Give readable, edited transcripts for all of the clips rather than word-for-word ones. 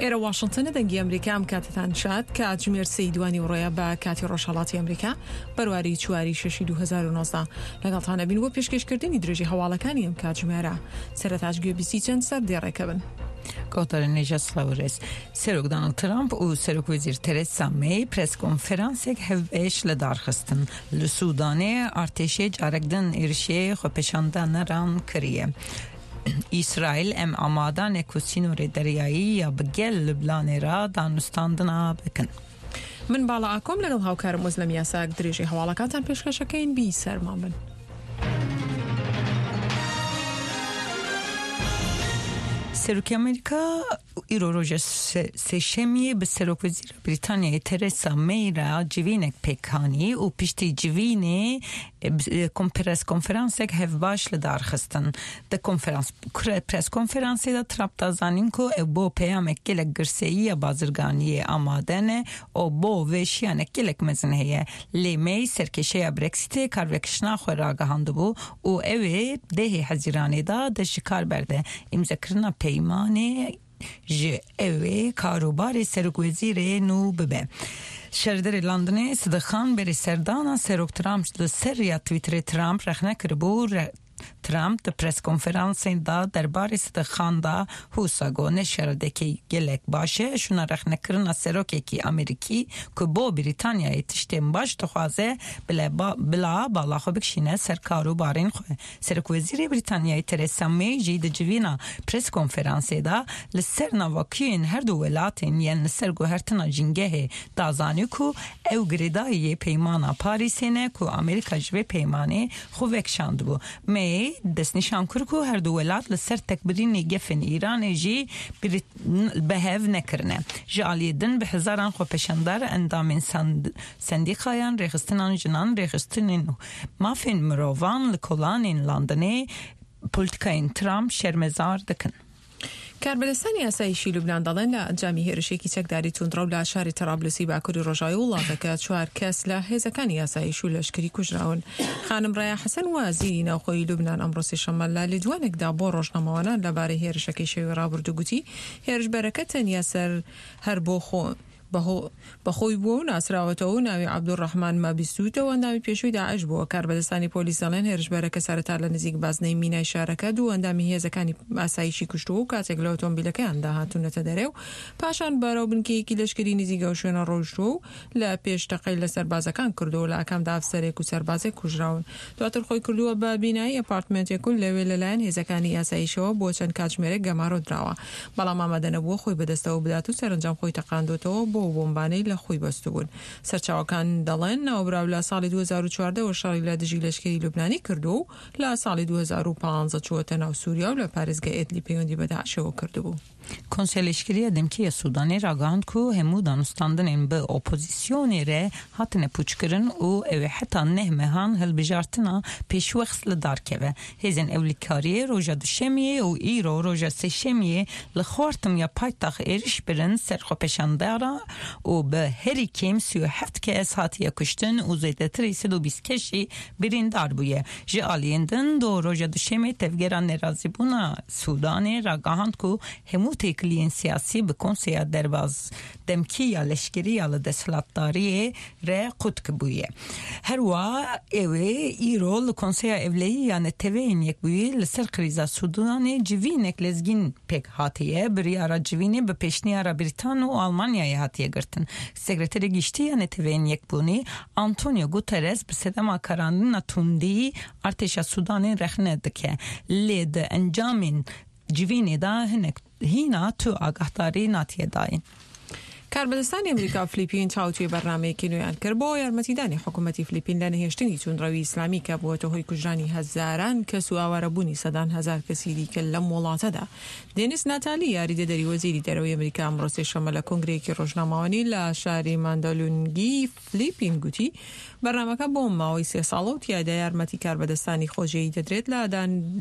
ئێرە واشنتنە دەنگی ئەمریکا ئەم کاتتان شاد کاتژمێر سێی دوانی وڕۆیە بە کاتی ڕۆژهەڵاتی ئەمریکا بەرواری چواری شەشی 2019 لەگەڵتان ئەبین بۆ پێشکەشکردنی درێژی هەواڵەکانی ئەم کاتژمێرە سەرەتاش گوێبیستی چەند سەر دێڕێکە بن. کۆتەرە نێژە سڵاو ڕێز. سەرۆک دانڵد ترامپ و سەرۆک وەزیر تەرێسا مەی پرێس کۆنفرانسێک هەڤبەش لە دار خستن. لە سوودانێ ئارتێشێ جارەک دن ئێرشێ خۆپێشاندانەران کریە. ئیسرائیل ئەم ئامادانێ کو سینۆرێ دەریایی یا bi گەل لوبنانێ را دانوستاندنا بکن. من باڵا ئاکۆم لەگەڵ هاوکارم ئۆزلەم یاساک درێژەی هەواڵەکانتان پێشکەشەکەین بی سەرمان بن. سەرۆکی ئەمریکا ئیرۆ ڕۆژە سێشەمیە bi Serokwezîra Brîtanyayê Theresa May re civînek pêk anî û piştî civînê preskonferansek hevbaş li dar xistin. Di konferans preskonferansê de Trump da zanîn ku ew bo peyamek gelek girseyî ya bazirganiyê amade ne û bo vê şiyanek gelek mezin heye. Lê May serkêşeya Brexitê karvekişina xwe ragihandibû û ew ê dehê Hezîranê de dest ji kar berde. Îmzekirina peymanê ji ew ê karûbarê serokwezîrê nû bibe. Şerderê Londonê Sidiq Xan berê serdana Serok Trump li ser riya Twitterê Trump rexne kiribû. Trump di preskonferansên da derbarê Sidiq Xan da wisa got ne şeridekî gelek baş e şûna rexnekirina serokekî Amerîkî ku bo Brîtanyayê tiştên baş dixwaze bila bala xwe bikişîne ser karûbarên xwe. Serokwezîrê Brîtanyayê Theresa May jî di civîna preskonferansê de li ser navokiyên her du welatên yên li ser guhertina jîngehê da zanî ku ew girêdayî Peymana Parîsê ne ku Amerîka ji vê peymanê xwe vekişandibû. May destnîşan kir ku her du welat li ser tekbirînê gefên Îranê jî bi hev nekirine. Ji aliyê din bi hezaran xwepêşandar, endamên sendîkayan, rêxistinan jinan, rêxistinên mafên mirovan li kolanên Londonê polîtîkayên Trump şermezar dikin. کاربەدەستانی ئاسایشی لوبنان دەڵێن لە ئەنجامی هێرشێکی چەکداری توندڕەو لە شاری تەرابلسی باکوری ڕۆژاوای وڵاتەکە چوار کەس لە هێزەکانی ئاسایش و لەشکری کوژراون. خانم ڕەیا حەسەن وەزیری ناوخۆی لوبنان ئەمڕۆ سێشەممە لە لێدوانێکدا بۆ ڕۆژنامەوانان لەبارەی هێرشەکەی شەوی ڕابردوو گوتی هێرشبەرەکە تەنیا سەر هەر بۆ خۆ بە خۆی بووە و ناسراوەتەوە و ناوی عەبدولڕەحمان مابیسوتە و ئەندامی پێشووی داعش بووە. کاربەدەستانی پۆلیس دەڵێن هێرشبەرەکە سەرەتا لە نزیک بازنەی مینای شارەکە دوو ئەندامی هێزەکانی ئاسایشی کوشتووە و کاتێک لە ئۆتۆمبیلەکەیاندا هاتوونەتە دەرێ و پاشان بەرەو بنکەیەکی لەشکری نزیک ئەو شوێنە ڕۆیشتووە و لە پێش تەقەی لە سەربازەکان کردووە و لە ئاکامدا ئەفسەرێک و سەربازێک کوژراون. دواتر خۆی کردووە بە بینایی ئەپارتمێنتێک و لەوێ لەلایەن هێزەکانی ئاسایشەوە بۆ چەند کاتژمێرێک گەمارۆ دراوە، بەڵام ئامادە نەبووە خۆی بەدەستەوە بدات و سەرەنجام خۆی تەقاندۆتەوە بەو بۆمبانەی لە خۆی بەستبوون. سەرچاوەکان دەڵێن ناوبراو لە ساڵی 2014 وە شەڕی لە دژی لەشکری لوبنانی کردووە و لە ساڵی 2015 چووەتە ناو سووریا و لە پارێزگای ئێدلی پەیوەندی بە داعشەوە کردبوو. Konseya Leşkerî ya Demkî ya Sûdanê ragihand ku hemû danûstandinên bi opozîsyonê re hatine pûçkirin û ew ê heta neh mehan hilbijartina pêşwext li dar keve. Hêzên ewlîkariyê roja duşemiyê û îro roja sêşemiyê li Xartum ya paytext êriş birin ser xwepêşandaran û bi herî kêm 37 kes hatiye kuştin û zêdetirî 120 kes jî birîndar bûye. Ji aliyên din do roja duşemê tevgera nerazîbûna Sûdanê ragihand ku hemû têkiliyên siyasî bi Konseya Derbaz Demkî ya Leşkerî ya li desthilatdariyê re qut bûye. Her wiha ew ê îro li Konseya Ewlehî ya Neteweyên Yekbûyî li ser krîza Sûdanê civînek lezgîn pêk hatiye. Biryara civînê bi pêşniyara Brîtan û Almanyayê hatiye girtin. Sekreterê Giştî ya Neteweyên Yekbûnî Antonio Guterres bi sedema karandina tundî artêşa Sûdanê rexne dike. Lê di encamên civînê de hinek hîna tu agahdarî natiye dayîn. کاربەدەستانی ئەمریکا و فلیپین تاوتوێی بەرنامەیەکی نوێیان کرد بۆ یارمەتیدانی حکومەتی فلیپین لە نەهێشتنی توندڕەوی ئیسلامی کە بووەتە هۆی کوژرانی هەزاران کەس و ئاوارەبوونی سەدان هەزار کەسی دیکە لەم وڵاتەدا. دێنیس ناتالی یاریدەدەری وەزیری دەرەوەی ئەمریکا ئەمڕۆ سێشەممە لە کۆنگرەیەکی ڕۆژنامەوانی لە شاری ماندالونگی فلیپین گوتی، بەرنامەکە بۆ ماوەی سێ ساڵە و تیایدا یارمەتی کاربەدەستانی خۆجێیی دەدرێت لە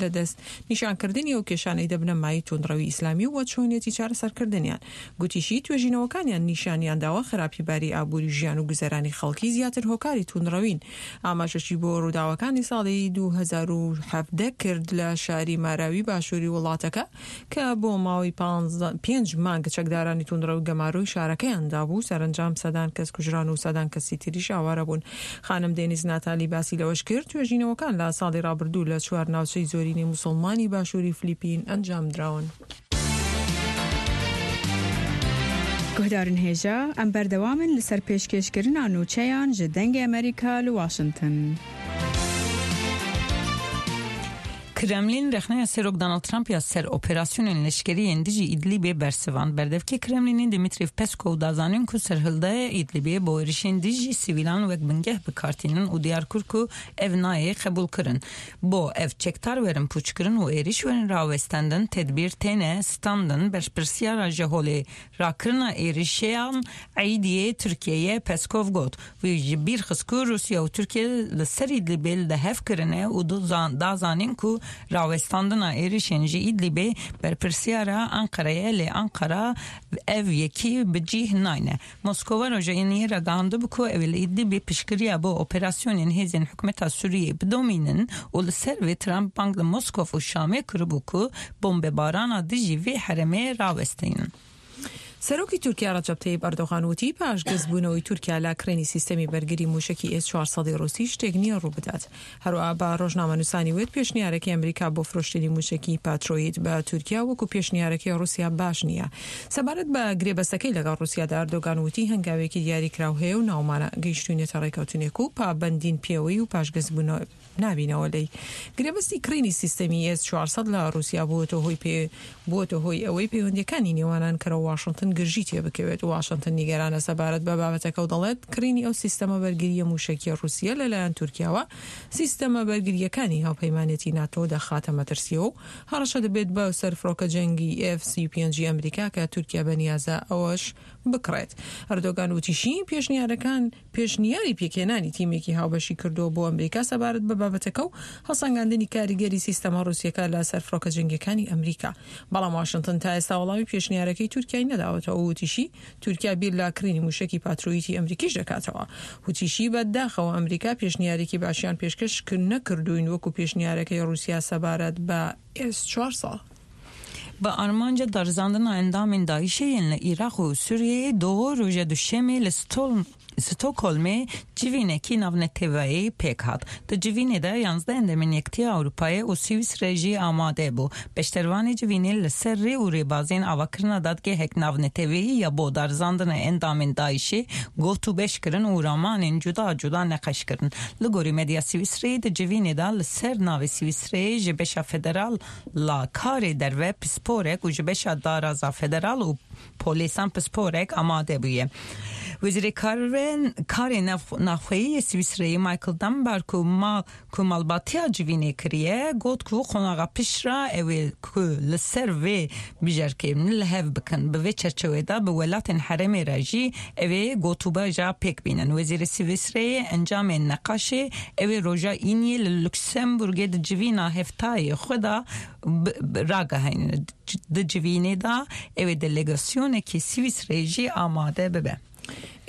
لە دەست نیشانکردنی ئەو کێشانەی دەبنە مایەی توندڕەوی ئیسلامی و چۆنیەتی چارەسەرکردنیان. گوتیشی، توێژینەوەکانیان. نیشانیانداوە خراپی باری ئابووری ژیان و گوزەرانی خەڵکی زیاتر هۆکاری توندڕەوین. ئاماژەشی بۆ ڕووداوەکانی ساڵی 2017 کرد لە شاری ماراوی باشووری وڵاتەکە کە بۆ ماوەی پێنج مانگ چەکدارانی توندڕەو گەمارۆی شارەکەیان دابوو، سەرەنجام سەدان کەس کوژران و سەدان کەسی تریش ئاوارە بوون. خانم دێنیز ناتالی باسی لەوەش کرد، توێژینەوەکان لە ساڵی ڕابردوو لە چوار ناوچەی زۆرینەی موسڵمانی باشووری فلیپین ئەنجامدراون. Guhdarên hêja, em berdewam in li ser pêşkêşkirina nûçeyan ji Dengê Amerîka li Washington. Kremlîn rexneya Serok Donald Trump ya ser operasyonên leşkerî yên dijî Îdlîbê bersivand. Berdevkê Kremlînê Dmitriy Peskov da zanîn ku serhildaya Îdlîbê bo êrişên dijî sivîlan wek bingeh bi kar tînin û diyar kir ku ev nayê qebûlkirin. Bo ev çekdar werin pûçkirin û êriş werin rawestandin tedbîr têne standin berpirsiyara ji holê rakirina êrişeyan eydiyê Tirkiye ye Peskov got. Wî ji bîr xist ku Rûsya û Tirkiye li ser Îdlîbê li hev kirine û da zanîn ku rawestandina êrişên ji Îdlîbê berpirsiyara Enqereyê lê Enqera ev yekî bi cîh nayne. Moskova roja Îniyê ragihandibû ku ew ê li Îdlîbê piştgiriya bo operasyonên hêzên hikûmeta Sûriyeyê bidomînin û li ser vê Trump bang li Moskov û Şamê kiribû ku bombebarana dijî vê herêmê rawestînin. سەرۆکی تورکیا ڕەجەب تەیب ئەردۆغان وتی، پاشگەزبوونەوەی تورکیا لە کڕینی سیستەمی بەرگری مووشەکی ئێس 400 ی ڕووسی شتێک نییە ڕووبدات. هەروەها بە ڕۆژنامەنووسانی وت، پێشنیارەکەی ئەمریکا بۆ فرۆشتنی مووشەکی پاترۆیت بە تورکیا وەکو پێشنیارەکەی ڕووسیا باش نییە. سەبارەت بە گرێبەستەکەی لەگەڵ ڕووسیادا ئەردۆگان وتی، هەنگاوێکی دیاریکراو هەیە و ناومانە گەیشتووینەتە ڕێکەوتنێک و پابەندین پێوەی و پاشگەزبوونەوە نابینەوە لێی. گرێبەستی کڕینی سیستەمی ئێس 400 لە ڕووسیا بووەتە هۆی پێ بووەتە هۆی ئەوەی پەیوەندییەکانی نێوان ئەنکەرە و واشنتن گرژی تێبکەوێت. واشنتن نیگەرانە سەبارەت بە بابەتەکە و دەڵێت، کڕینی ئەو سیستەمە بەرگرییە مووشەکییە ڕووسییە لەلایەن تورکیاوە سیستەمە بەرگرییەکانی هاوپەیمانێتی ناتۆ دەخاتە مەترسییەوە و هەڕەشە دەبێت بە سەر فڕۆکە جەنگی ئێف 35 ی ئەمریکا کە تورکیا بەنیازە ئەوەش بکڕێت. ئەردۆگان وتیشی، پێشنیارەکان پێشنیاری پێکهێنانی تیمێکی هاوبەشی کردووە بۆ ئەمریکا سەبارەت بە بابەتەکە و هەڵسەنگاندنی کاریگەری سیستەمە ڕووسییەکە لە سەر فڕۆکە جەنگییەکانی ئەمریکا. بەڵام واشنتن تا ئێستا وەڵامی پێشنیارەکەی تورکیای نەداوەتەوە و وتیشی، تورکیا بیر لە کڕینی مووشەکی پاترۆیتی ئەمریکیش دەکاتەوە. وتیشی، بە داخەوە ئەمریکا پێشنیارێکی باشیان پێشکەش نەکردووین وەکو پێشنیارەکەی ڕووسیا سەبارەت بە ئێس 400. Bi armanca darizandina endamên DAIŞ'ê yên li Îraq û Sûriyeyê doh roja Duşemê li Stockholmê civînekî navneteweyî pêk hat. Di civînê de yanzdeh endamên Yekitiya Ewropayê û Swîsre jî amade bû. Beşdervanê civînê li ser rê û rêbazên avakirina dadgehek navneteweyî ya bo darizandina endamên DAIŞ'ê gotûbêj kirin û ramanên cuda cuda neqeş kirin. Li gorî medya Swîsreyê di civînê de li ser navê Swîsreyê ji beşa federal La karê derve pisporek û ji beşa daraza federal û polêsan pisporek amade bûye. Wezîrê Karê Navxweyî yê Swîsreyê Michael Dunbar ku mal ku malbatiya civînê kiriye got ku qonaxa pişt re ew ê ku li ser vê bijerkê li hev bikin. Bi vê çerçewê de bi welatên herêmê re jî ew ê gotûbeja pêk bînin. Wezîrê Swîsreyê encamên neqaşê ew ê roja Îniyê li Luksemburgê di civîna hevtayê xwe de ragihînin. Di civînê de ew ê delegasyonekî Swîsreyê jî amade bibe.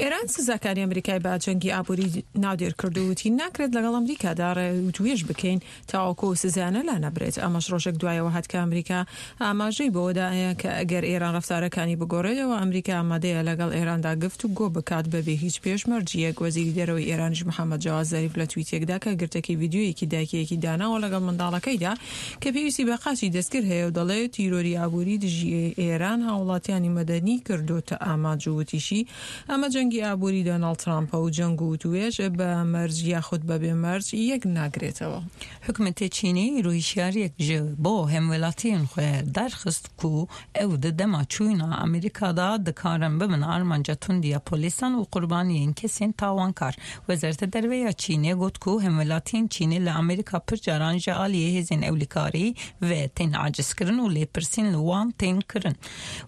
ئێران سزاکانی ئەمریکای بە جەنگی ئابووری ناودێر کرد و وتی، ناکرێت لەگەڵ ئەمریکادا وتوێژ بکەین تاوەکو ئەو سزایانە لانەبرێت. ئەمەش ڕۆژێک دوایەوە هات کە ئەمریکا ئاماژەی بەوەدا کە ئەگەر ئێران ڕەفتارەکانی بگۆڕێت ئەوا ئەمریکا ئامادەیە لەگەڵ ئێراندا گفت و گۆ بکات بەبێ هیچ پێشمەرجییەک. وەزیری دەرەوەی ئێرانیش محەمەد جەواد زەریف لە تویتێکدا کە گرتەکی ڤیدیۆیەکی دایکێکی داناوە لەگەڵ منداڵەکەیدا کە پێویستی بە قاچی دەستکرد هەیە و دەڵێت تیرۆری ئابووری دژی ئێران هاوڵاتیانی مەدەنی کردۆتە ئامانج و وتیشی ئەمە جەنگی ئابووری دۆناڵد ترامپە و جەنگ و وتوێژ بە مەرج یاخود بەبێ مەرج یەک ناگرێتەوە. حکومەتê Çînê îro hişyariyek ji bo hemwelatiyên xwe derxist ku ew di dema çûyîna Amerîka de dikarin bibin armanca tundiya polîsan û qurbaniyên kesên tawankar. Wezareta Derve ya Çînê got ku hemwelatiyên Çînê li Amerîka pir caran ji aliyê hêzên ewlekarî ve tên acizkirin û lêpirsîn li wan tên kirin.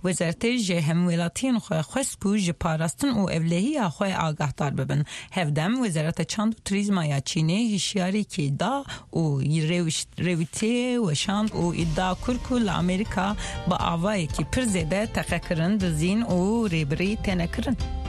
Wezaretê ji hemwelatiyên xwe xwest ku ji parastin û ewlekariyê. ewlehiya xwe agahdar bibin. Hevdem Wezareta Çand û Turîzma ya Çînê hişyarîkî da û rêwîtiyê weşand û îdia kir ku li Amerîka bi avayekî pir zêde teqekirin, dizîn û rêbirî têne kirin.